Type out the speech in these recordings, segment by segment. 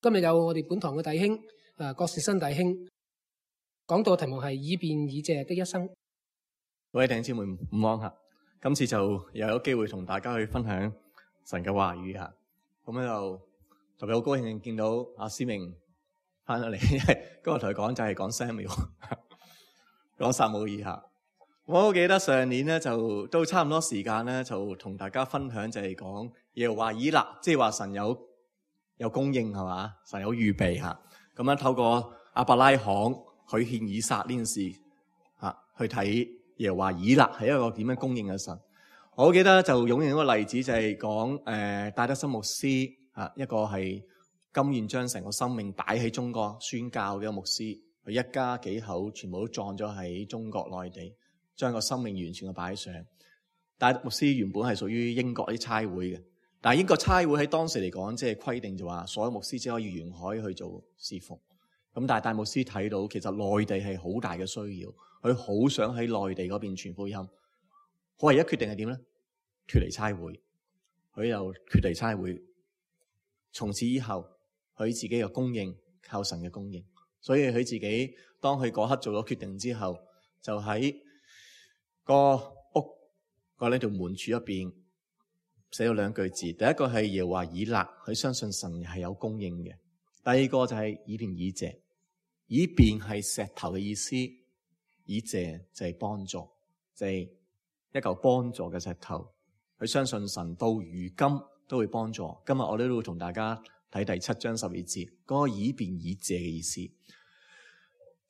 今日有我哋本堂嘅弟兄郭士新弟兄講到嘅題目係以便以謝的一生。各位弟兄姊妹午安吓，今次就又有機會同大家去分享神嘅話語吓，咁咧就特別好高興見到阿思明翻咗嚟，因為今日同佢講就係講 Samuel， 講撒母耳吓。我好記得上年咧就都差唔多時間咧，就同大家分享就係講耶和華以勒，即係話神有供應係嘛，神有預備吓。咁樣透過亞伯拉罕許獻以撒呢件事吓，去睇耶和華以勒係一個點樣供應嘅神。我好記得就用一個例子就係講戴德森牧師啊，一個係甘願將成個生命擺喺中國宣教嘅一個牧師，佢一家幾口全部都葬咗喺中國內地，將個生命完全嘅擺上。戴德牧師原本係屬於英國啲差會嘅，但係英國差會喺當時嚟講，即係規定就話所有牧師只可以沿海去做侍奉。咁但係戴牧師睇到其實內地係好大嘅需要，佢好想喺內地嗰邊傳福音。佢唯一決定係點咧？脫離差會，佢又脫離差會。從此以後，佢自己嘅供應靠神嘅供應，所以佢自己當佢嗰刻做咗決定之後，就喺個屋個呢條門柱入邊寫咗兩句字。第一個係耶和華以勒，佢相信神係有供應嘅。第二個就係以便以謝，以便係石頭嘅意思，以謝就係幫助，就係一嚿幫助嘅石頭。佢相信神到如今都會幫助。今日我哋都會同大家睇第7章12節嗰個以便以謝嘅意思。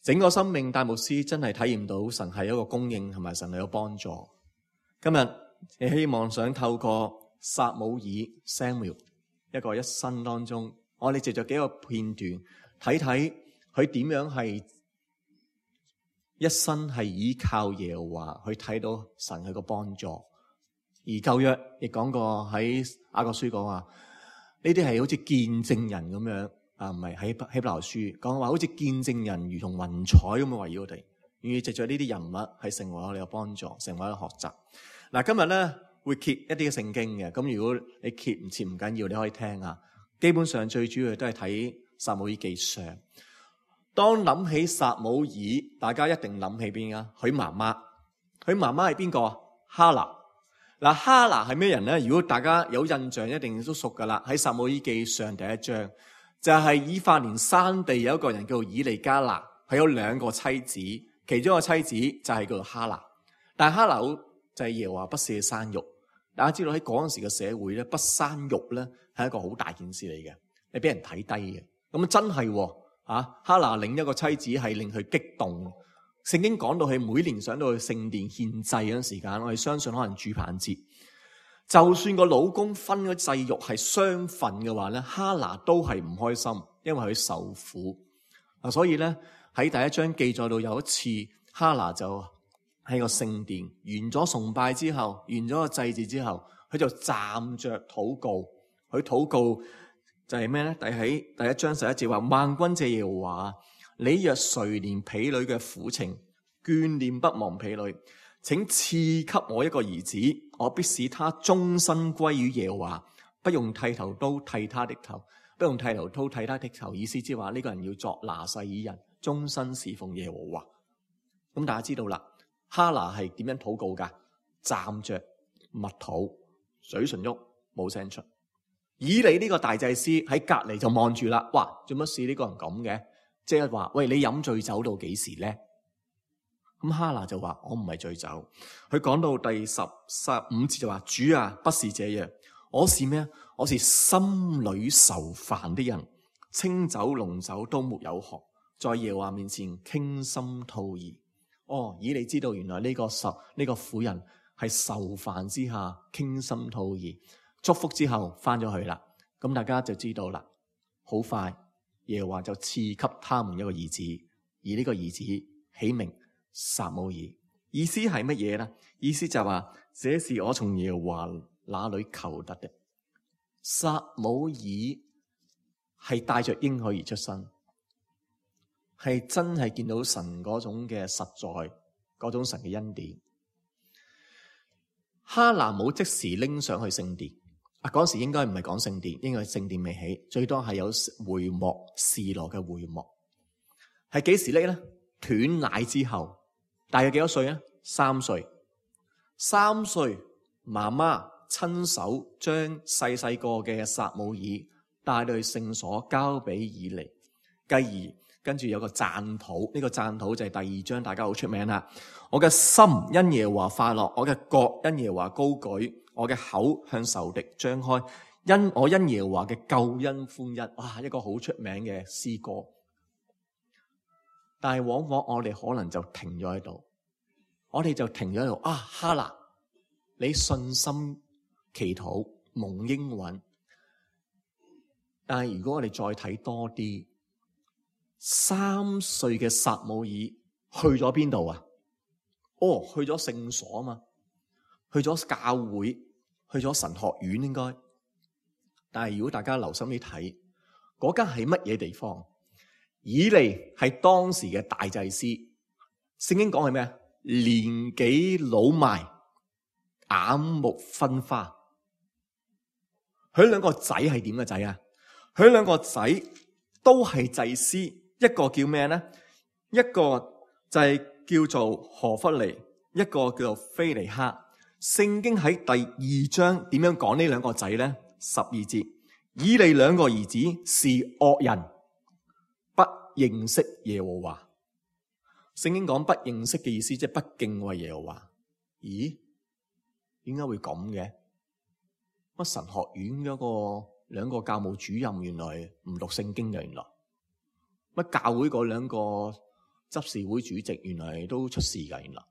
整個生命戴牧師真係體驗到神係一個供應，同埋神係有幫助。今日你希望想透過撒母耳 Samuel 一個一生當中，我哋藉着幾個片段睇睇佢點樣係一生係依靠耶和華，去睇到神佢個幫助。而舊約亦講過喺雅各書講話，呢啲係好似見證人咁樣啊，唔係喺希伯來書講話好似見證人如同雲彩咁樣圍繞我哋，願意藉着呢啲人物係成為我哋嘅幫助，成為我哋學習。嗱，今日咧會揭一啲嘅聖經嘅，咁如果你揭唔切唔緊要，你可以聽啊。基本上最主要都係睇撒母耳記上。當諗起撒母耳，大家一定諗起邊啊？佢媽媽，佢媽媽係邊個啊？哈拿。嗱，哈拿係咩人咧？如果大家有印象，一定都熟噶啦。喺撒母耳記上第1章，就係以法蓮山地有一個人叫做以利加拿，佢有2個妻子，其中一個妻子就係叫做哈拿。但係哈拿就係耶和華不赦生育。大家知道喺嗰陣時嘅社會咧，不生育咧係一個好大件事嚟嘅，你俾人睇低嘅。咁真係哈拿另一個妻子係令佢激動。聖經講到佢每年上到去聖殿獻祭嗰陣時間，我哋相信可能住棚節，就算個老公分咗祭肉係雙份嘅話咧，哈拿都係唔開心，因為佢受苦。所以咧喺第1章記載到有一次，哈拿就喺個聖殿完咗崇拜之後，完咗個祭祀之後，佢就站着禱告。佢禱告就係咩咧？喺第1章11節話：萬軍之耶和華，你若垂憐婢女嘅苦情，眷念不忘婢女，請賜給我一個兒子，我必使他終身歸於耶和華，不用剃頭刀剃他的頭，不用剃頭刀剃他的頭。意思即係話呢個人要作拿細耳人，終身侍奉耶和華。咁大家知道啦，哈拿係點樣禱告噶？站着默禱，嘴唇喐冇聲出。以利呢個大祭司喺隔籬就望住啦，哇，做乜事呢個人咁嘅？即係話，喂，你飲醉酒到幾時咧？咁哈拿就話：我唔係醉酒。佢講到第15節就話：主啊，不是這樣，我是咩啊？我是心裏愁煩的人，清酒濃酒都沒有喝，在耶和華面前傾心吐意。哦，以利知道原來呢個婦人係愁煩之下傾心吐意，祝福之後翻咗去啦。咁大家就知道啦，好快。耶和華就賜給他們一個兒子，而呢個兒子起名撒母耳。意思係乜嘢呢？意思就係話，這是我從耶和華那裏求得的。撒母耳係帶着應許而出生，係真係見到神嗰種嘅實在，嗰種神嘅恩典。哈拿冇即時拎上去聖殿，嗰時應該唔係講聖殿，應該係聖殿未起，最多係有會幕，示羅嘅會幕。係幾時呢？斷奶之後，大約幾多歲啊？3歲。3歲，媽媽親手將細細個嘅撒母耳帶到去聖所，交俾以利。繼而跟住有個讚禱，呢個讚禱就係第2章，大家好出名啦。我嘅心因耶和華快樂，我嘅角因耶和華高舉，我嘅口向仇敵張開，因耶和華嘅救恩歡欣。哇，一個好出名嘅詩歌。但係往往我哋可能就停咗喺度，我哋就停咗喺度。哈拿，你信心祈禱蒙應允。但係如果我哋再睇多啲，3歲嘅撒母耳去咗邊度啊？去咗聖所啊嘛，去咗教會，去咗神學院應該。但係如果大家留心啲睇，嗰間係乜嘢地方？以利係當時嘅大祭司，聖經講係咩？年紀老邁，眼目昏花。佢兩個仔係點嘅仔啊？佢兩個仔都係祭司，一個叫咩呢？一個就係叫做何弗尼，一個叫做菲尼哈。聖經喺第2章點樣講呢兩個仔呢？12節，以利兩個兒子是惡人，不認識耶和華。聖經講不認識嘅意思，即係不敬畏耶和華。咦？點解會咁嘅？乜神學院嗰個兩個教務主任原來唔讀聖經嘅？原來乜教會嗰兩個執事會主席原來都出事㗎？原來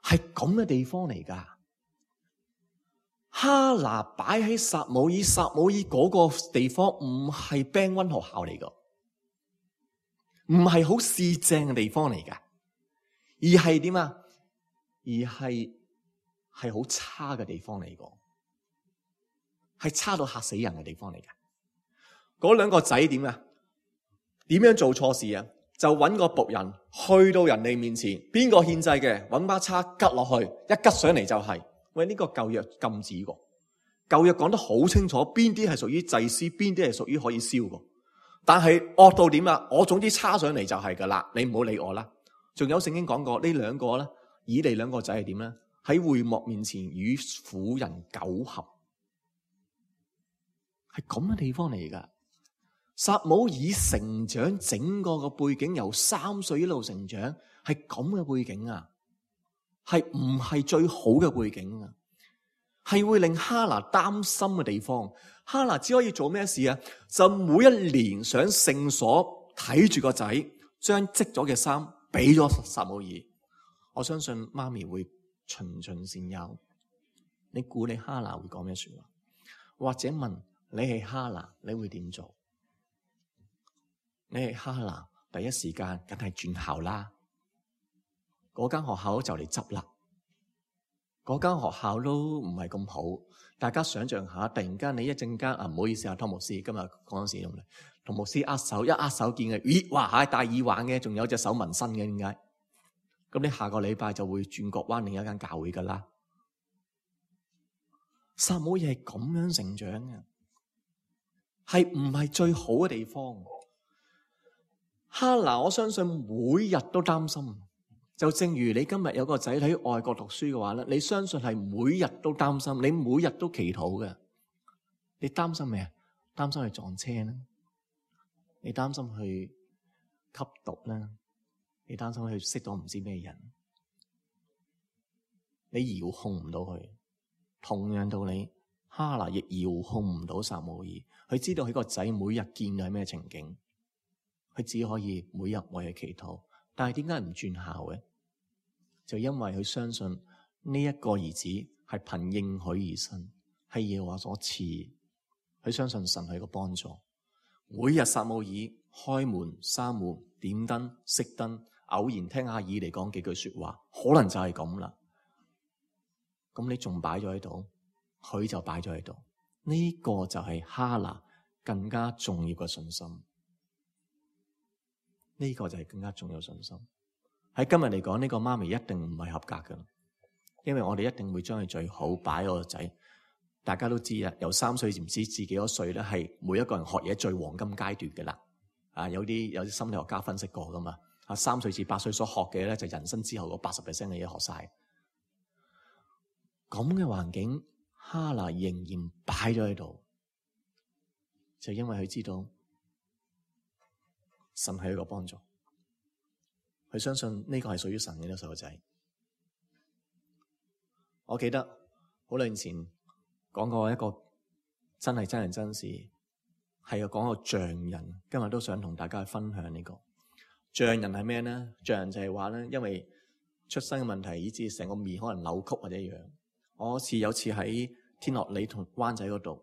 係咁嘅地方嚟㗎。哈拿擺喺撒母耳嗰個地方唔係 Band 1學校嚟㗎，唔係好市正嘅地方嚟㗎，而係點啊？而係好差嘅地方嚟㗎，係差到嚇死人嘅地方嚟㗎。嗰兩個仔點啊？點樣做錯事啊？就揾個僕人去到人哋面前，邊個獻祭嘅，揾把叉拮落去，一拮上嚟就係。喂，呢個舊約禁止過，舊約講得好清楚，邊啲係屬於祭司，邊啲係屬於可以燒過。但係惡到點啊？我總之叉上嚟就係噶啦，你唔好理我啦。仲有聖經講過呢兩個咧，以利兩個仔係點咧？喺會幕面前與婦人苟合，係咁嘅地方嚟噶。撒母耳成長整個嘅背景由3歲一路成長，係咁嘅背景啊，係唔係最好嘅背景啊？係會令哈拿擔心嘅地方。哈拿只可以做咩事啊？就每一年上聖所睇住個仔，將織咗嘅衫俾咗撒母耳。我相信媽咪會循循善誘。你估你哈拿會講咩說話？或者問你係哈拿，你會點做？你係哈拿，第一時間梗係轉校啦。嗰間學校就嚟執啦，嗰間學校都唔係咁好。大家想象下，突然間你一陣間唔好意思啊，湯牧師今日嗰陣時同牧師握手，一握手見嘅，咦，哇，戴耳環嘅，仲有隻手紋身嘅，點解？咁你下個禮拜就會轉角灣另一間教會噶啦。撒母耳係咁樣成長嘅，係唔係最好嘅地方？哈拿，我相信每日都擔心。就正如你今日有個仔喺外國讀書嘅話咧，你相信係每日都擔心，你每日都祈禱嘅。你擔心咩啊？擔心去撞車啦，你擔心去吸毒啦，你擔心去識到唔知咩人，你遙控唔到佢。同樣道理，哈拿亦遙控唔到撒母耳。佢知道佢個仔每日見到係咩情景，佢只可以每日為佢祈禱。但係點解唔轉校嘅？就因為佢相信呢一個兒子係憑應許而生，係耶和華所賜。佢相信神係個幫助。每日撒母耳開門、閂門、點燈、熄燈，偶然聽下以利講幾句說話，可能就係咁啦。咁你仲擺咗喺度，佢就擺咗喺度。呢個就係哈拿更加重要嘅信心。呢個就係更加重要嘅信心。喺今日嚟講，呢個媽咪一定唔係合格嘅，因為我哋一定會將佢最好擺個仔，大家都知啊，由3歲唔知自幾多歲咧，係每一個人學嘢最黃金階段嘅啦。有啲心理學家分析過噶嘛。3歲至8歲所學嘅咧，就人生之後嗰 80% 嘅嘢學晒。咁嘅環境，哈拿仍然擺咗喺度，就因為佢知道神係一個幫助，佢相信呢個係屬於神嘅呢個細路仔。我記得好耐前講過一個真係真人真事，係講個匠人。今日都想同大家去分享呢個匠人係咩咧？匠人就係話咧，因為出生嘅問題，以致成個面可能扭曲或者樣。我有次喺天樂里同灣仔嗰度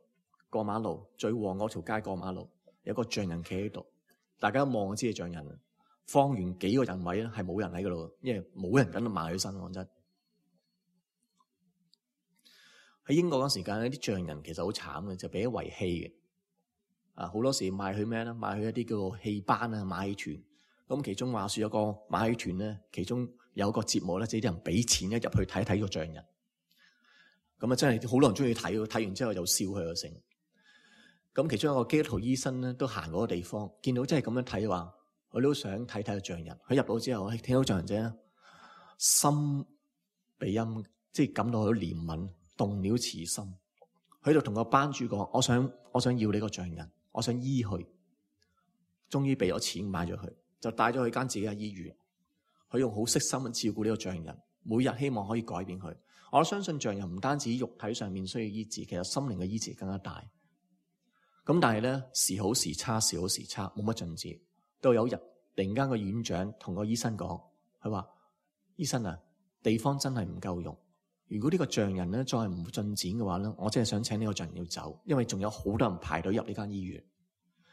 過馬路，最旺嗰條街過馬路，有個匠人企喺度，大家一望就知係匠人。方圓幾個人位咧係冇人喺嗰度，因為冇人敢埋佢身。講真，喺英國嗰時間咧，啲匠人其實好慘嘅，就俾遺棄嘅。好多時賣去咩咧？賣去一啲叫做戲班啊、馬戲團。咁其中話說有個馬戲團咧，其中有個節目咧，即係啲人俾錢一入去睇睇個匠人。咁真係好多人中意睇，睇完之後又笑佢又成。咁其中一個基督徒醫生咧，都行嗰個地方，見到真係咁樣睇話，佢都想睇睇個匠人。佢入到之後，聽到匠人啫，心被陰，即係感到好憐憫，動了慈心。佢就同個班主講：我想要你個匠人，我想醫佢。終於俾咗錢買咗佢，就帶咗去間自己嘅醫院。佢用好悉心去照顧呢個匠人，每日希望可以改變佢。我相信匠人唔單止肉體上面需要醫治，其實心靈嘅醫治更加大。咁但係咧，時好時差，時好時差，冇乜進展。到有日突然間個院長同個醫生講，佢話：醫生啊，地方真係唔夠用。如果呢個匠人咧再唔進展嘅話咧，我真係想請呢個匠人要走，因為仲有好多人排隊入呢間醫院。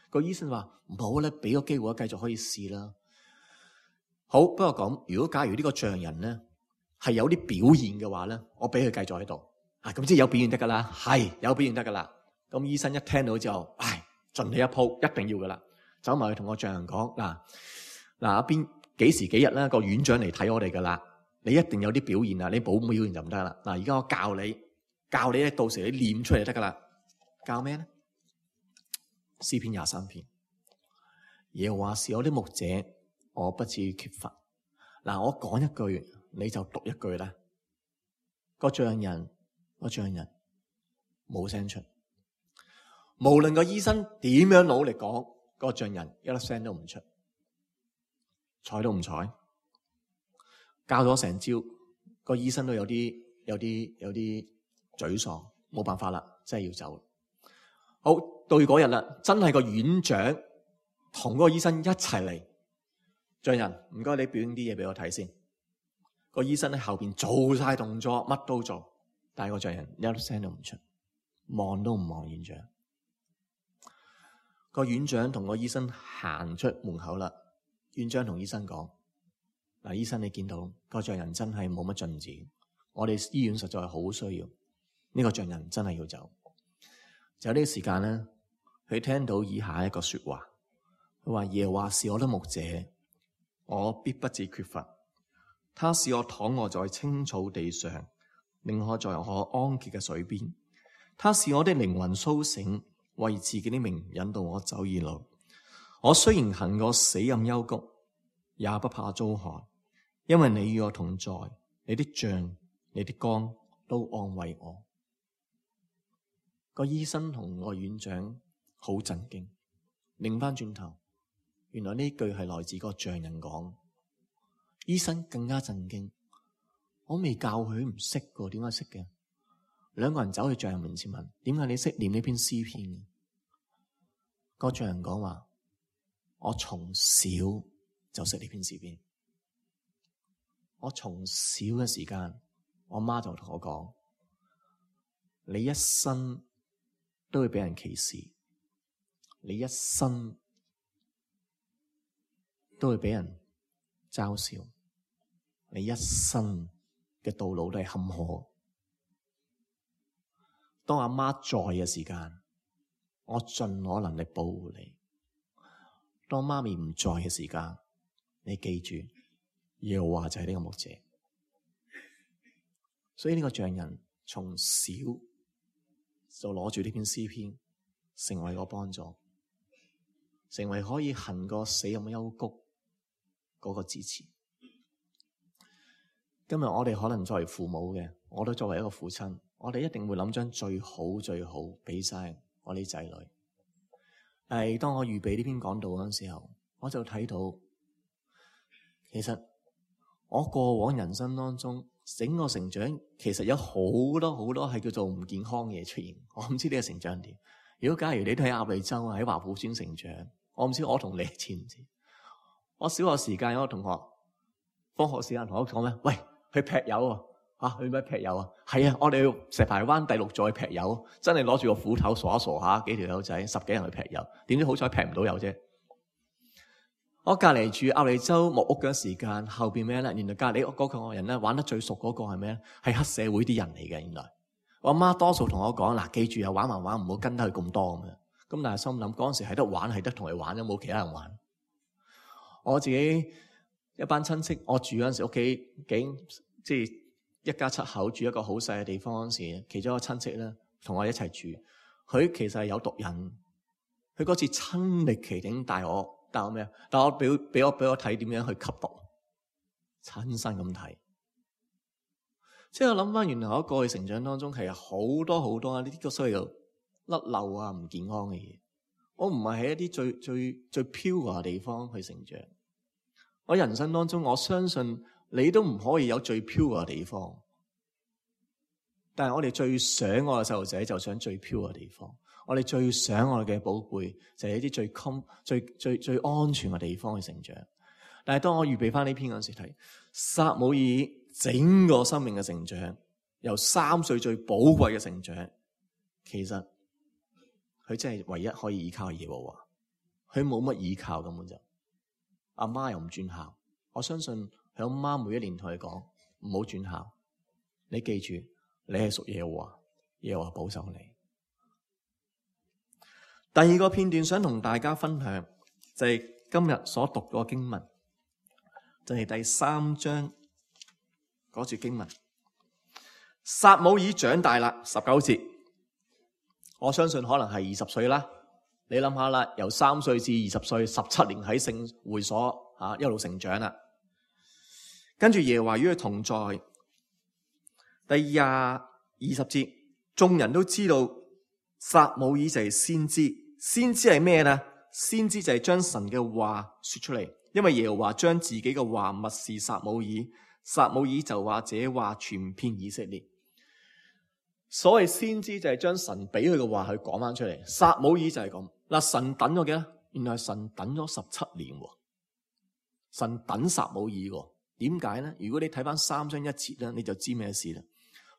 個醫生話：唔好咧，俾個機會我繼續可以試啦。好，不過講，如果假如呢個匠人咧係有啲表現嘅話咧，我俾佢繼續喺度。咁即係有表現得噶啦，係有表現得噶啦。咁醫生一聽到之後，盡你一鋪，一定要噶啦。走埋去同個匠人講：嗱，邊幾時幾日咧個院長嚟睇我哋噶啦，你一定有啲表現啊，你冇表現就唔得啦。而家我教你咧，到時你念出嚟就得噶啦。教咩咧？詩篇23篇，耶和華是我的牧者，我不至於缺乏。我講一句，你就讀一句啦。個匠人冇聲出，無論個醫生點樣努力講，個匠人一粒聲都唔出，睬都唔睬。教咗成朝，個醫生都有啲沮喪，冇辦法啦，真係要走。好，到嗰日啦，真係個院長同嗰個醫生一齊嚟。匠人，唔該你表演啲嘢俾我睇先。個醫生喺後邊做晒動作，乜都做，但係個匠人一粒聲都唔出，望都唔望院長。個院長同個醫生行出門口啦。院長同醫生講：醫生你見到個匠人真係冇乜進展，我哋醫院實在係好需要呢個匠人，真係要走。就呢個時間咧，佢聽到以下一個說話，佢話：耶和華是我的牧者，我必不致缺乏。他使我躺臥在青草地上，令我在可安歇嘅水邊。他使我的靈魂蘇醒，為自己的名引導我走義路。我雖然行過死蔭幽谷，也不怕遭害，因為你與我同在，你的杖、你的竿都安慰我。個醫生同個院長好震驚，擰翻轉頭，原來呢句係來自個匠人講。醫生更加震驚，我未教佢唔識嘅，點解識嘅？兩個人走去匠人面前問：點解你識念呢篇詩篇嘅？個匠人講話：我從小就識呢篇詩篇。我從小嘅時間，我媽就同我講：你一生都會俾人歧視，你一生都會俾人嘲笑，你一生嘅道路都係坎坷。當阿媽在嘅時間，我盡我能力保護你；當媽咪唔在嘅時間，你記住，耶和華就係呢個牧者。所以呢個匠人從小就攞住呢篇詩篇，成為個幫助，成為可以行過死蔭幽谷嗰個支持。今日我哋可能作為父母嘅，我都作為一個父親，我哋一定會諗將最好最好俾晒我啲仔女。但係當我預備呢篇講道嗰陣時候，我就睇到，其實我過往人生當中整個成長，其實有好多好多係叫做唔健康嘅嘢出現。我唔知呢個成長點。如果假如你都喺鴨脷洲喺華富村成長，我唔知我同你知唔知？我小學時間有個同學，放學時間同我講咩？喂，去劈友啊！去咩劈友啊？係啊，我哋要石排灣第6座去劈友，真係攞住個斧頭傻一傻下，幾條友仔10幾人去劈友，點知好彩劈唔到友啫。我隔離住鴨脷洲木屋嘅時間，後邊咩咧？原來隔離屋嗰個人咧玩得最熟嗰個係咩咧？係黑社會啲人嚟嘅。原來我阿媽多數同我講嗱，記住啊，玩唔好跟得佢咁多咁樣。咁但係心諗嗰陣時係得玩，係得同佢玩，有冇其他人玩？我自己一班親戚，我住嗰陣時屋企即係一家7口住一個好細嘅地方嗰陣時，其中一個親戚咧同我一齊住，佢其實係有毒癮，佢嗰次親歷其境帶我咩啊？但我俾我睇點樣去吸毒，親身咁睇。即係我諗翻，原來我過去成長當中係有好多好多呢啲個所謂嘅甩漏啊、唔健康嘅嘢。我唔係喺一啲最 pure 嘅地方去成長。我人生當中，我相信你都唔可以有最 pure 嘅地方。但係我哋最想我嘅細路仔就想最 pure 嘅地方。我哋最想我哋嘅寶貝就係一啲最安全嘅地方去成長。但係當我預備翻呢篇嗰陣時睇，撒母耳整個生命嘅成長，由3歲最寶貴嘅成長，其實佢真係唯一可以依靠嘅耶和華，佢冇乜依靠，根本就阿媽又唔轉校。我相信佢阿媽每一年同佢講唔好轉校，你記住你係屬耶和華，耶和華保守你。第二個片段想同大家分享，就係今日所讀嘅經文，就係第3章嗰節經文。撒母耳長大啦，19節，我相信可能係20歲啦。你諗下啦，由3歲至20歲，17年喺聖會所一路成長啦。跟住耶和華與佢同在。第20節，眾人都知道撒母耳就係先知。先知係咩呢？先知就係將神嘅話說出嚟，因為耶和華將自己嘅話默示撒母耳，撒母耳就話這話傳遍以色列。所謂先知就係將神俾佢嘅話去講翻出嚟。撒母耳就係咁嗱，神等咗幾多？原來神等咗17年，神等撒母耳。點解呢？如果你睇翻3章1節咧，你就知咩事啦。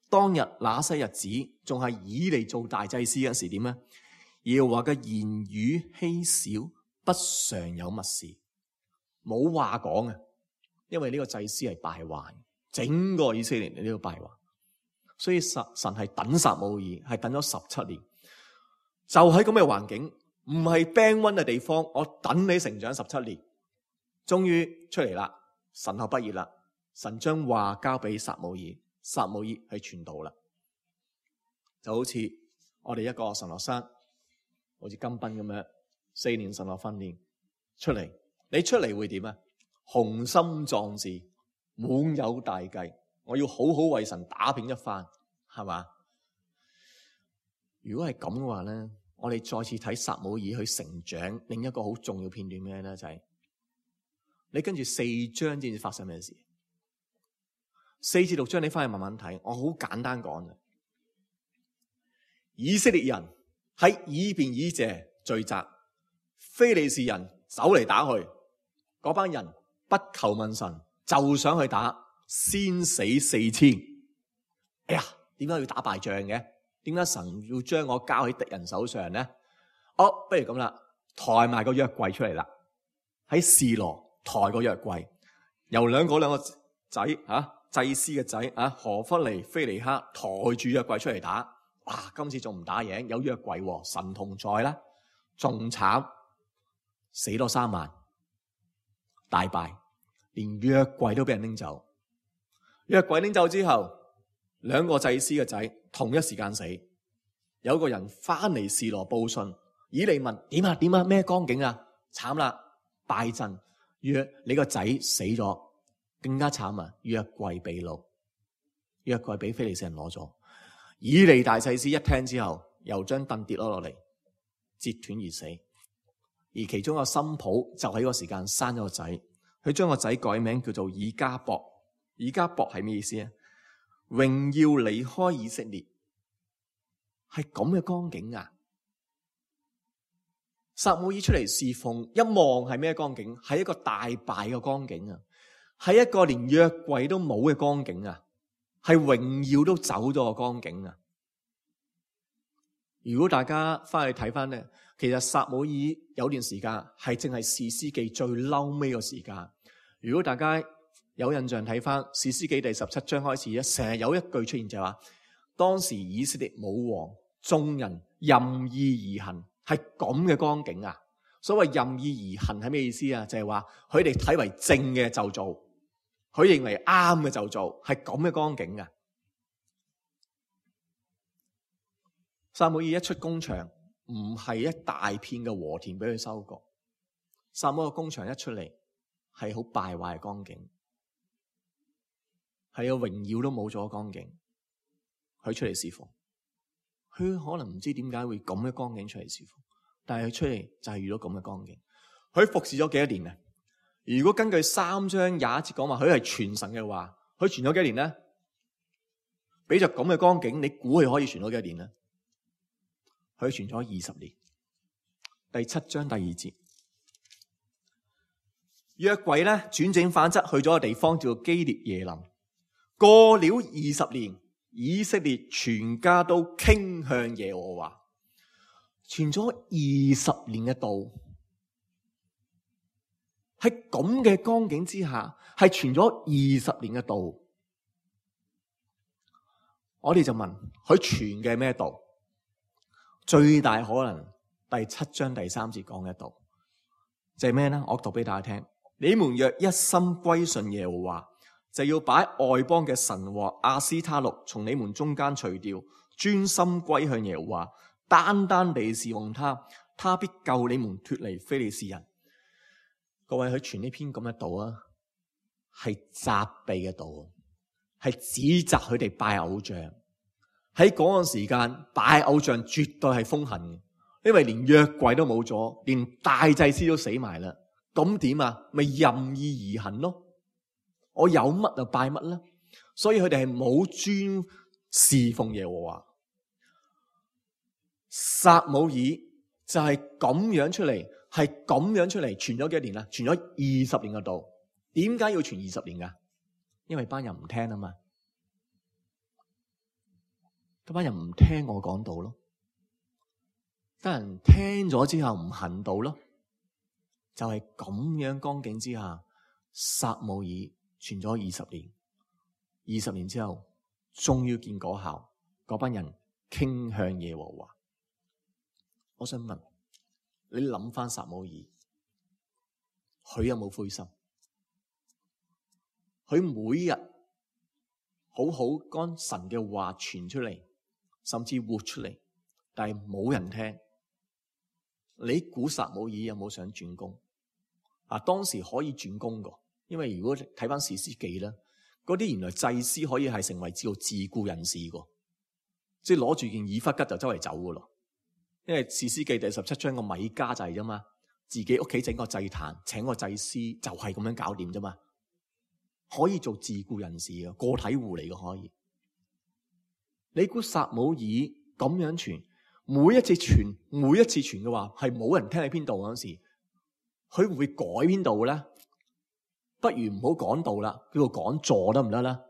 當日那些日子仲係以利做大祭司嗰時點呢？耶和華嘅言語稀少，不常有密事，冇話講嘅，因為呢個祭司係敗壞，整個以色列呢個敗壞，所以神係等撒母耳，係等咗17年，就喺咁嘅環境，唔係冰溫嘅地方，我等你成長17年，終於出嚟啦，神學畢業啦，神將話交俾撒母耳，撒母耳去傳道啦，就好似我哋一個神學生。好似金斌咁樣4年神學訓練出嚟，你出嚟會點啊？雄心壯志，滿有大計，我要好好為神打拼一番，係嘛？如果係咁嘅話咧，我哋再次睇撒母耳去成長，另一個好重要片段咩咧？就係你跟住4章先至發生咩事。4至6章你翻去慢慢睇，我好簡單講嘅。以色列人喺以便以謝聚集，非利士人走嚟打去，嗰班人不求問神，就想去打，先死4000。哎呀，點解要打敗仗嘅？點解神要將我交喺敵人手上呢？不如咁啦，抬埋個約櫃出嚟啦，喺示羅抬個約櫃，由兩個仔祭司嘅仔何弗尼、非尼哈抬住約櫃出嚟打。哇！今次仲唔打贏，有約櫃，神同在啦，仲慘，死多3萬，大敗，連約櫃都俾人拎走。約櫃拎走之後，兩個祭司嘅仔同一時間死，一有個人翻嚟示羅報信，以利問點啊咩光景啊？慘啦，敗陣，約你個仔死咗，更加慘啊！約櫃被擄，約櫃俾非利士人攞咗。以利大祭司一聽之後，又將凳跌咗落嚟，折斷而死。而其中一個新抱就喺個時間生咗個仔，佢將個仔改名叫做以迦博。以迦博係咩意思啊？榮耀離開以色列，係咁嘅光景啊！撒母耳出嚟侍奉，一望係咩光景？係一個大敗嘅光景啊！係一個連約櫃都冇嘅光景啊！係榮耀都走咗嘅光景啊！如果大家翻去睇翻咧，其實撒母耳有段時間係正係士師記最嬲尾個時間。如果大家有印象睇翻士師記第17章開始咧，成日有一句出現就係話，當時以色列冇王，眾人任意而行，係咁嘅光景啊！所謂任意而行係咩意思啊？就係話佢哋睇為正嘅就做，佢認為啱嘅就做，係咁嘅光景啊！撒母耳一出工場，唔係一大片嘅禾田俾佢收割，撒母耳個工場一出嚟，係好敗壞嘅光景。係個榮耀都冇咗光景，佢出嚟侍奉，佢可能唔知點解會咁嘅光景出嚟侍奉，但係佢出嚟就係遇到咁嘅光景。佢服侍咗幾多年啊？如果根據3章21節講話，佢係傳神嘅話，佢傳咗幾多年咧？俾着咁嘅光景，你估佢可以傳咗幾多年咧？佢傳咗20年。第7章第2節，約櫃咧轉整反側去咗個地方叫做基列耶琳。過了20年，以色列全家都傾向耶和華，傳咗20年嘅道，喺咁嘅光景之下，係傳咗20年嘅道。我哋就問佢傳嘅咩道？最大可能第7章第3節講嘅道，就係咩呢？我讀俾大家聽：你們若一心歸順耶和華，就要把外邦嘅神和亞斯他錄從你們中間除掉，專心歸向耶和華，單單地侍奉他，他必救你們脫離非利士人。各位，佢傳呢篇咁嘅道啊，係責備嘅道，係指責佢哋拜偶像。喺嗰個時間拜偶像絕對係風行嘅，因為連約櫃都冇咗，連大祭司都死埋啦。咁點啊？咪任意而行咯。我有乜就拜乜啦，所以佢哋係冇專侍奉耶和華。撒母耳就係咁樣出嚟，係咁樣出嚟，傳咗幾多年啊？傳咗20年嘅道。點解要傳20年噶？因為班人唔聽啊嘛，嗰班人唔聽我講道咯，班人聽咗之後唔行道咯，就係咁樣光景之下，撒母耳傳咗20年，20年之後終於見果效，嗰班人傾向耶和華。我想問你，諗翻撒母耳，佢有冇灰心？佢每日好好將神嘅話傳出嚟，甚至活出嚟，但係冇人聽。你估撒母耳有冇想轉工？當時可以轉工噶，因為如果睇翻士師記咧，嗰啲原來祭司可以係成為自僱人士噶，即係攞住件以弗吉就周圍走噶咯。因為士師記第17章個米迦就係啫嘛，自己屋企整個祭壇，請個祭司就係咁樣搞掂啫嘛，可以做自僱人士嘅個體戶嚟嘅可以。你估撒母耳咁樣傳，每一次傳嘅話係冇人聽喺邊度嗰時，佢會唔會改邊度咧？不如唔好講道啦，叫做講座得唔得啦？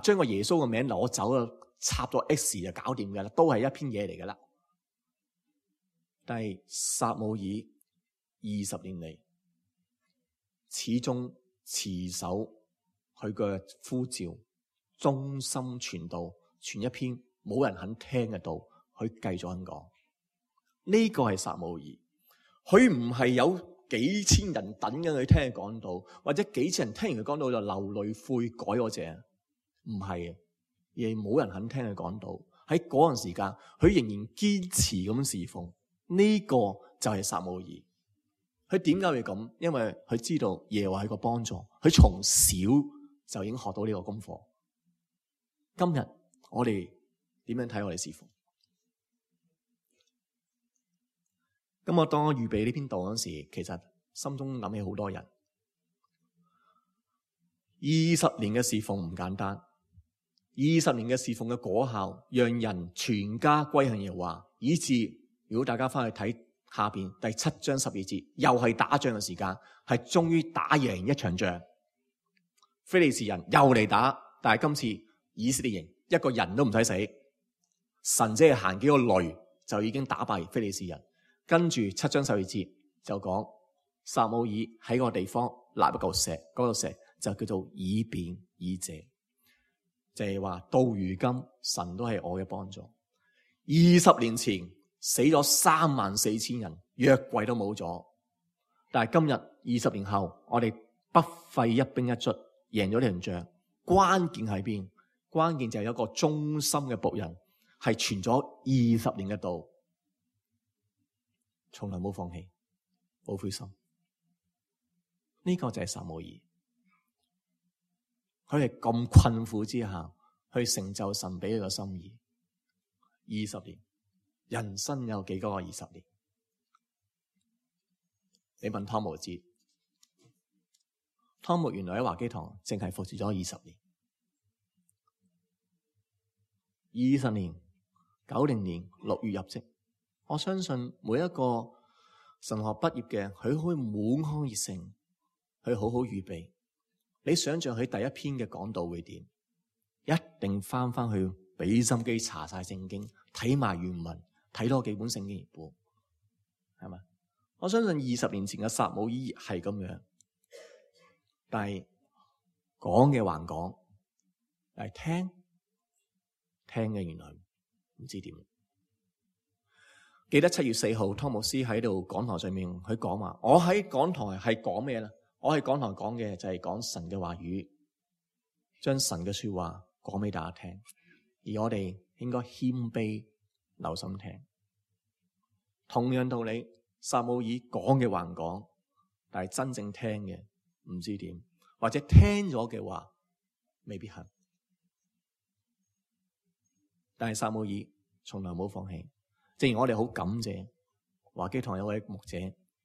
將個耶穌嘅名攞走啊，插咗 X 就搞掂噶啦，都係一篇嘢嚟噶啦。但係撒母耳20年嚟，始終持守佢嘅呼召，忠心傳道，傳一篇冇人肯聽嘅道，佢繼續咁講。呢個係撒母耳，佢唔係有幾千人等緊佢聽佢講道，或者幾千人聽完佢講道就流淚悔改嗰隻，唔係，而係冇人肯聽佢講道，係喺嗰陣時間，佢仍然堅持咁侍奉。呢個就係撒母耳。佢點解會咁？因為佢知道耶和華係個幫助，佢從小就已經學到呢個功課。今日我哋點樣睇我哋侍奉？咁我當我預備呢篇道嗰時，其實心中諗起好多人。20年嘅侍奉唔簡單，20年嘅侍奉嘅果效，讓人全家歸向耶和華，以致如果大家翻去睇下邊第7章12節，又係打仗嘅時間，係終於打贏一場仗。非利士人又嚟打，但係今次以色列人一個人都唔使死，神只係行幾個雷就已經打敗非利士人。跟住7章12節就講撒母耳喺個地方立一嚿石，嗰嚿石就叫做以便以謝，就係話到如今神都係我嘅幫助。20年前死咗34000人，約櫃都冇咗，但係今日20年後，我哋不費一兵一卒贏咗呢場仗。關鍵喺邊？關鍵就係有一個忠心嘅僕人，係傳咗20年嘅道，從來冇放棄，冇灰心。呢個就係撒母耳。佢係咁困苦之下去成就神俾佢嘅心意。20年，人生有幾多個20年？你問湯姆知，湯姆原來喺華基堂淨係服侍咗20年。20年，90年6月入職。我相信每一個神學畢業嘅，佢可以滿腔熱誠，去好好預備。你想象佢第一篇嘅講道會點？一定翻去俾心機查晒聖經，睇埋原文，睇多幾本聖經譯本，係咪？我相信20年前嘅撒母耳係咁樣，但係講嘅還講，但係聽嘅原來唔知點。記得7月4號，湯牧師喺度講台上面，佢講話：我喺講台係講咩咧？我喺講台講嘅就係講神嘅話語，將神嘅說話講俾大家聽，而我哋應該謙卑留心聽。同樣道理，撒母耳講嘅還講，但係真正聽嘅唔知點，或者聽咗嘅話未必係。但係撒母耳從來冇放棄。正如我哋好感謝華基堂有位牧者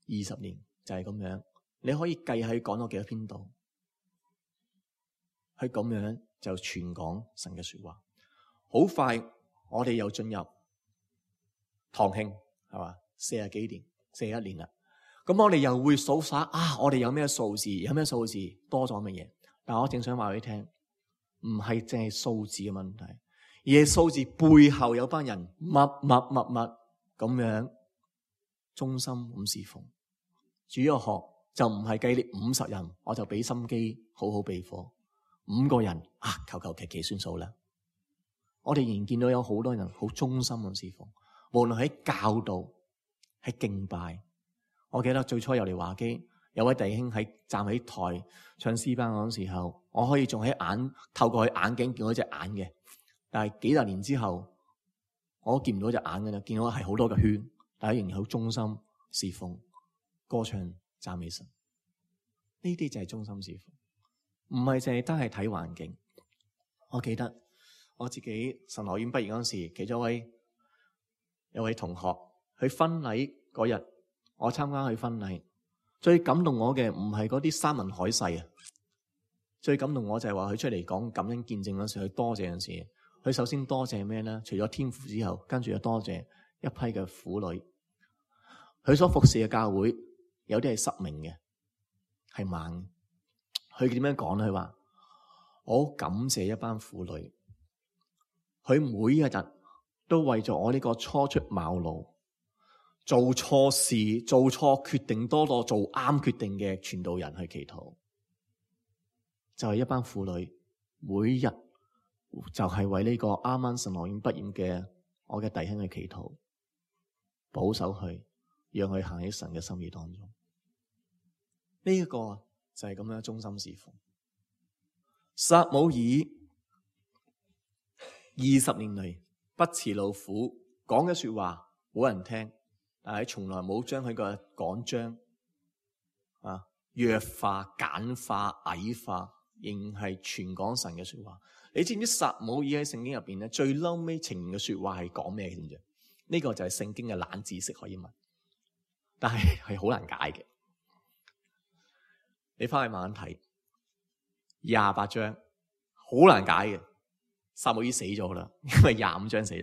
20年就係咁樣，你可以計喺講咗幾多篇道，佢咁樣就傳講神嘅說話。好快我哋又進入堂慶，係嘛，40幾年41年啦。咁我哋又會數晒我哋有咩數字，有咩數字多咗乜嘢？但我正想話俾你聽，唔係淨係數字嘅問題，而係數字背後有班人默咁樣忠心咁侍奉。主日學就唔係計你50人，我就俾心機好好備課。5個人求其算數啦。我哋仍然見到有好多人好忠心咁侍奉，無論喺教導、喺敬拜。我記得最初入嚟華基，有位弟兄喺站喺台唱詩班嗰陣時候，我可以仲喺透過佢眼鏡見到隻眼嘅。但係幾十年之後，我都見唔到隻眼嘅啦，見到係好多嘅圈，但係仍然好忠心侍奉、歌唱、讚美神。呢啲就係忠心侍奉，唔係淨係單係睇環境。我記得我自己神學院畢業嗰陣時，其中有位同學去婚禮嗰日，我參加佢婚禮，最感動我嘅唔係嗰啲山盟海誓啊，最感動我就係話佢出嚟講感恩見證嗰時，佢多謝嗰陣時，佢首先多謝咩咧？除咗天父之後，跟住又多謝一批嘅婦女。佢所服侍嘅教會有啲係失明嘅，係盲嘅。佢點樣講咧？佢話我好感謝一班婦女，佢每一日都為咗我呢個初出茅廬、做錯事、做錯決定多過做啱決定嘅傳道人去祈禱。就係一班婦女，每日就係為呢個啱啱神學院畢業嘅我嘅弟兄去祈禱，保守佢，讓佢行喺神嘅心意當中。呢一個就係咁樣忠心侍奉。撒母耳20年嚟不辭勞苦，講嘅說話冇人聽，但係從來冇將佢個講章弱化、簡化、矮化，仍係全講神嘅說話。你知唔知撒母耳喺聖經入邊咧最嬲尾呈現嘅說話係講咩？知唔知？呢個就係聖經嘅冷知識可以問，但係好難解嘅。你翻去慢慢睇28章，好難解嘅。撒母耳死咗啦，因為25章死，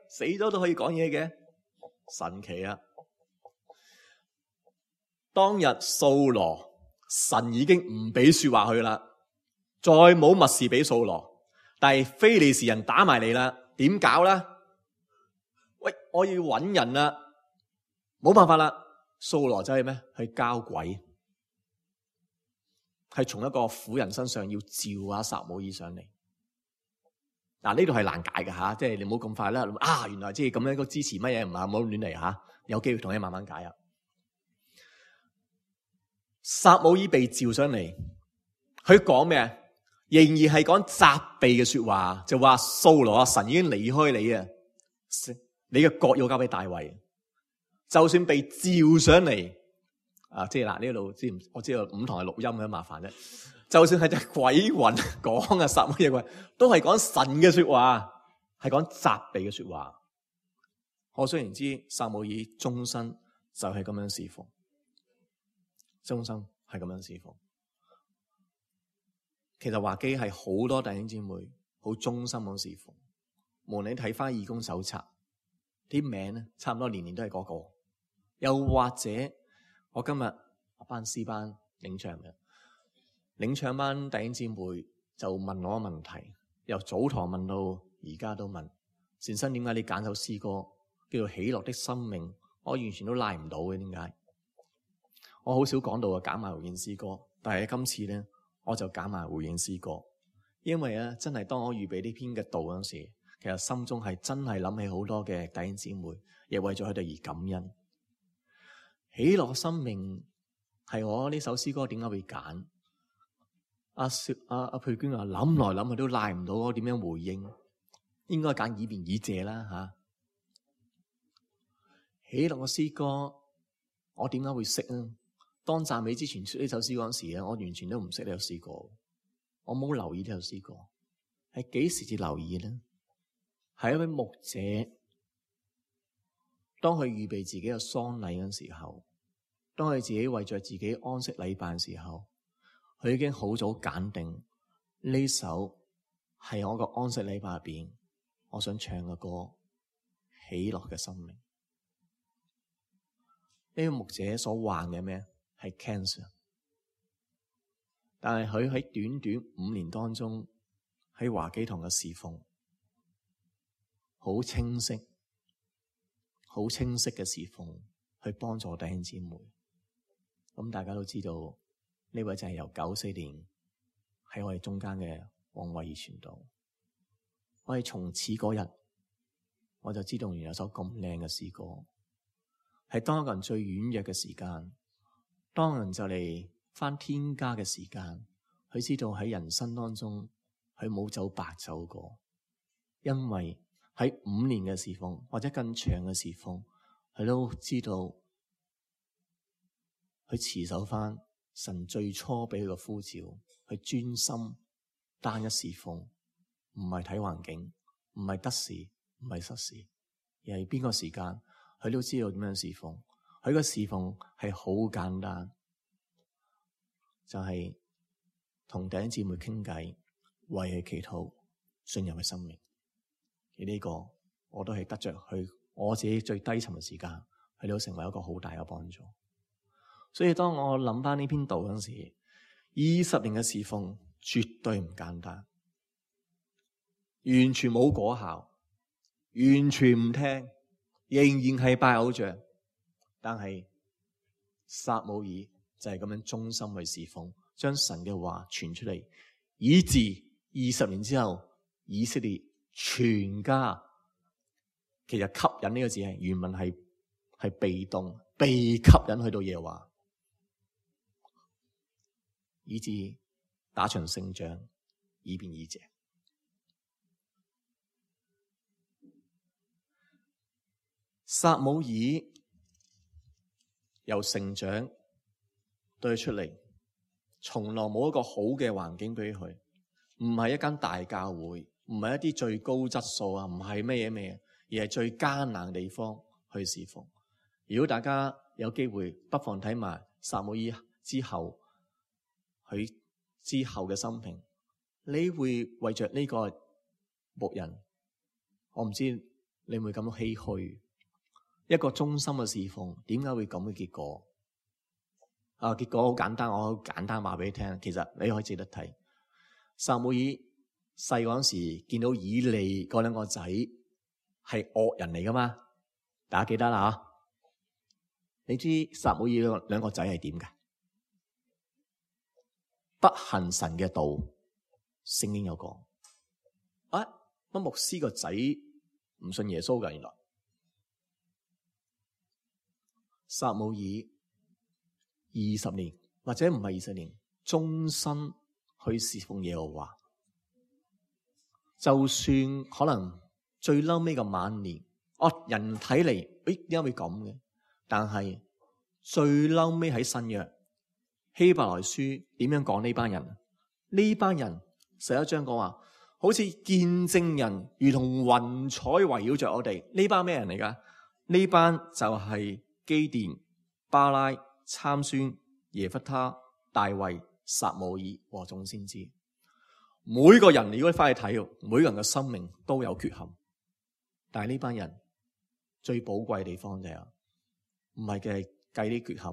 死咗都可以講嘢嘅，神奇啊！當日掃羅，神已經唔俾說話佢啦，再冇默示俾掃羅，但係非利士人打埋嚟啦，點搞啦？我要揾人啦，冇辦法啦，掃羅就係咩？去交鬼，係從一個婦人身上要召下撒母耳上嚟。嗱，呢度係難解嘅吓，即係你唔好咁快啦。原來即係咁樣個支持乜嘢唔好亂嚟吓，有機會同你慢慢解啊。撒母耳被召上嚟，佢講咩？仍然係講責備嘅說話，就話掃羅啊，神已經離開你啊，你嘅國要交俾大衛。就算被召上嚟即係嗱呢度知唔？我知道5堂係錄音嘅，麻煩啫。就算係隻鬼魂講撒母耳都係講神嘅說話，係講責備嘅說話。可想而知，撒母耳終身就係咁樣侍奉，終身係咁樣侍奉。其實華基係好多弟兄姊妹好忠心咁侍奉。無論你睇翻義工手冊，啲名咧差唔多年年都係嗰個。又或者我今日班詩班領唱嘅。領唱班弟兄姊妹就問我個問題，由早堂問到而家都問，善生點解你揀首詩歌叫做喜樂的生命？我完全都拉唔到嘅，點解？我好少講到揀埋回應詩歌，但係今次咧我就揀埋回應詩歌，因為咧真係當我預備呢篇嘅道嗰時，其實心中係真係諗起好多嘅弟兄姊妹，亦為咗佢哋而感恩。喜樂生命係我呢首詩歌點解會揀？阿佩娟話諗來諗去都賴唔到我點樣回應，應該揀以便以謝啦吓。喜樂嘅詩歌，我點解會識啊？當讚美之前出呢首詩歌嗰時咧，我完全都唔識呢首詩歌，我冇留意呢首詩歌，係幾時至留意呢？係一位牧者，當佢預備自己嘅喪禮嗰時候，當佢自己為着自己安息禮拜嘅時候，佢已經好早揀定呢首係我個安息禮拜入邊我想唱嘅歌，喜樂嘅生命。呢個牧者所患嘅咩？係 cancer， 但係佢喺短短5年當中喺華基堂嘅侍奉，好清晰嘅侍奉，去幫助弟兄姊妹。咁大家都知道。呢位就係由94年喺我哋中間嘅黃慧儀傳道。我係從此嗰日我就知道原來有首咁靚嘅詩歌，係當一個人最軟弱嘅時間，當人就嚟返天家嘅時間，佢知道喺人生當中佢冇走白走過，因為喺5年嘅侍奉或者更長嘅侍奉，佢都知道佢持守返神最初俾佢個呼召，去專心單一侍奉，唔係睇環境，唔係得時，唔係失時，而係邊個時間，佢都知道點樣侍奉。佢個侍奉係好簡單，就係同弟兄姊妹傾偈，為佢祈禱，進入佢生命。而呢個我都係得着佢我自己最低沉嘅時間，佢都成為一個好大嘅幫助。所以當我諗翻呢篇道嗰時，20年嘅侍奉絕對唔簡單，完全冇果效，完全唔聽，仍然係拜偶像。但係撒母耳就係咁樣忠心去侍奉，將神嘅話傳出嚟，以致20年之後，以色列全家，其實吸引呢個字係原文係被動，被吸引去到耶和華。以致打場勝仗，以便以謝。撒母耳由成長對佢出嚟，從來冇一個好嘅環境俾佢，唔係一間大教會，唔係一啲最高質素啊，唔係咩嘢咩嘢，而係最艱難嘅地方去侍奉。如果大家有機會，不妨睇埋撒母耳之後佢之後嘅生平，你會為着呢個僕人，我唔知你會感到唏噓。一個忠心嘅侍奉，點解會咁嘅結果？結果好簡單，我好簡單話俾你聽。其實你可以值得睇。撒母耳細嗰陣時見到以利嗰兩個仔係惡人嚟噶嘛？大家記得啦吓。你知撒母耳兩個仔係點噶？不行神嘅道，聖經有講。乜牧師個仔唔信耶穌噶？原來撒母耳20年或者唔係20年，終身去侍奉耶和華。就算可能最嬲尾嘅晚年，人睇嚟，點解會咁嘅？但係最嬲尾喺新約希伯來書點樣講呢班人？呢班人11章講話，好似見證人如同雲彩圍繞着我哋。呢班咩人嚟噶？呢班就係基甸、巴拉、參孫、耶弗他、大衛、撒母耳和眾先知。每個人如果你翻去睇，每個人嘅生命都有缺陷，但係呢班人最寶貴嘅地方就係唔係嘅計啲缺陷，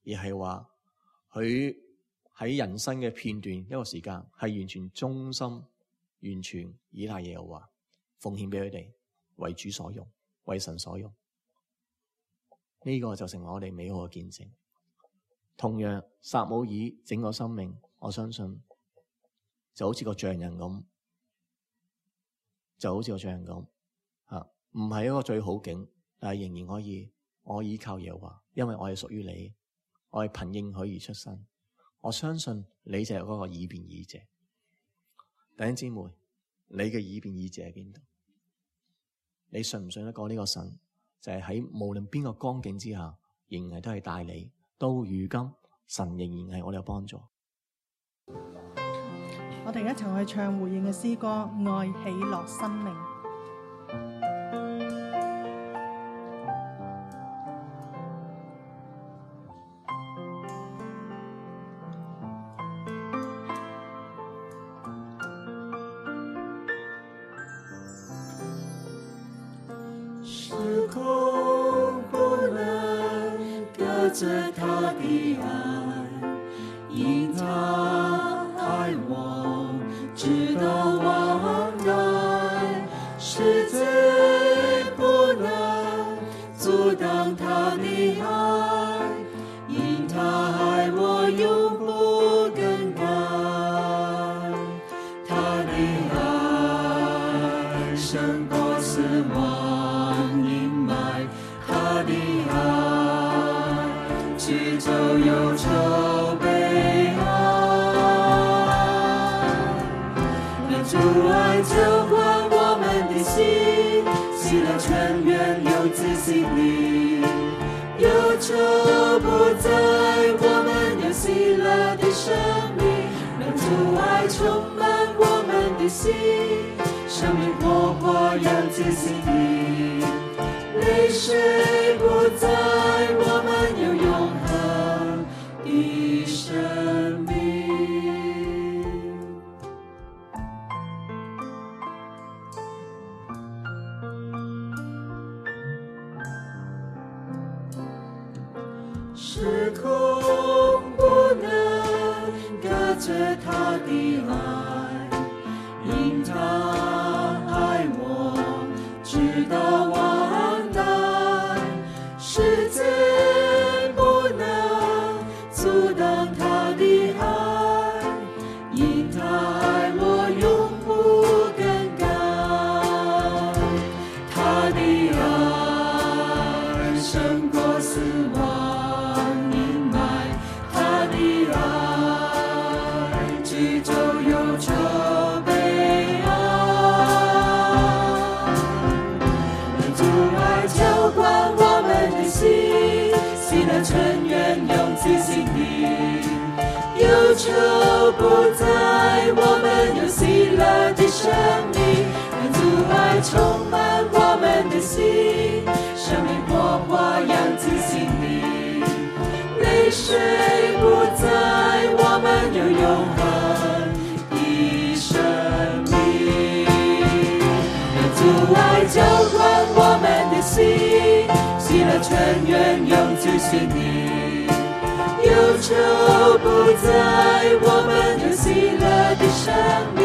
而係話佢喺人生嘅片段一個時間係完全忠心，完全依賴耶和華，奉獻俾佢哋，為主所用，為神所用。呢個就成為我哋美好嘅見證。同樣撒母耳整個生命，我相信就好似個匠人咁，唔係一個最好景，但係仍然可以，我依靠耶和華，因為我係屬於你，我係憑應許而出生。我相信你就係嗰個以便以謝。弟兄姊妹，你嘅以便以謝喺邊度？你信唔信得過呢個神？就係喺無論邊個光景之下，仍然都係帶你。到如今，神仍然係我哋嘅幫助。我哋一齊去唱回應嘅詩歌《愛喜樂生命》。時空不能隔絕他的愛，因他愛我直到萬代，世界不能阻擋他的愛，因他愛我永不更改，他的愛勝過死亡。宇宙憂愁悲哀，讓主愛澆灌我們的心，喜樂泉源流自心裡，憂愁不再，我們有喜樂的生命，讓主愛充滿我們的心，生命火花燃自心裡，淚水不再，我們有永恆的生命。時空不能隔絕他的愛，因他愛我直到萬代，世界不能阻擋他的愛，因他愛我永不更改，他的愛勝過死亡陰霾，他的愛驅走憂愁悲哀，源永自心里，忧愁不在，我们有喜乐的生命，愿主爱充满我们的心，生命火花养自心里，泪水不在，我们有永恒的生命，愿主爱浇灌我们的心，喜乐泉源永自心里，忧愁不在，我们有喜乐的生命，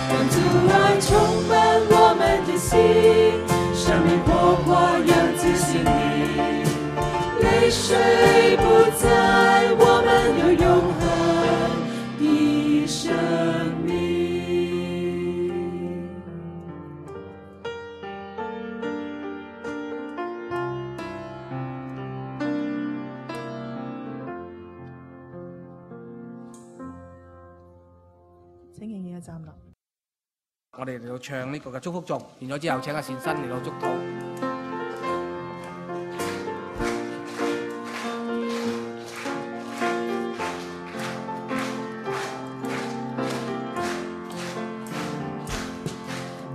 让主爱充满我们的心，生命火花养自心里，泪水不在，我们有永恒的生命。請仍然嘅站立。我哋嚟到唱呢個嘅祝福頌，完咗之後請阿善新嚟到祝禱。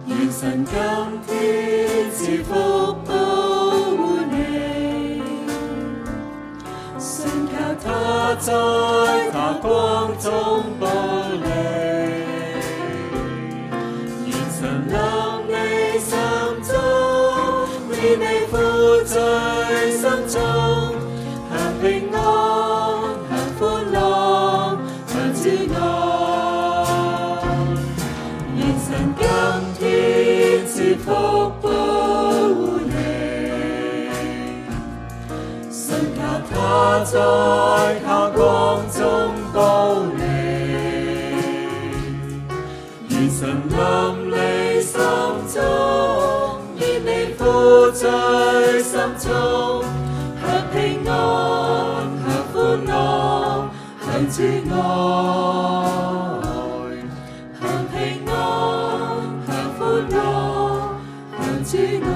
願神今天賜福保護你，信靠他在他光中保你。臨你心中，免你負在心中，享平安，享歡樂，享主愛。願神今天賜福保護你，信靠他在他光中保你。願神臨你心中，免你負在心中，享平安，享歡樂，享主愛，享平安，享歡樂，享主愛。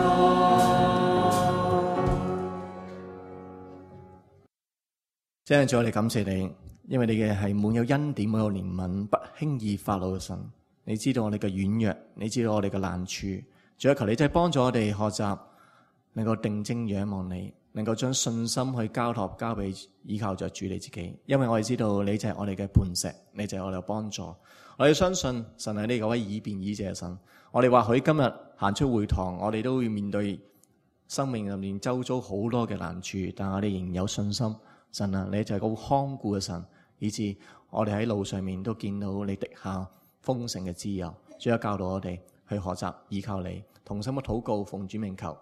真係主，我哋感謝你，因為你嘅係滿有恩典、滿有憐憫、不輕易發怒嘅神。你知道我哋嘅軟弱，你知道我哋嘅難處，主啊，求你真係幫助我哋學習，能夠定睛仰望你，能夠將信心去交託交俾依靠着主你自己。因為我哋知道你就係我哋嘅磐石，你就係我哋嘅幫助。我哋相信神係呢個位以便以謝嘅神。我哋或許今日行出會堂，我哋都會面對生命入面周遭好多嘅難處，但我哋仍有信心。神啊，你就係個看顧嘅神，以致我哋喺路上面都見到你滴下豐盛嘅滋油。主啊，教導我哋去學習依靠你，同心嘅禱告，奉主名求。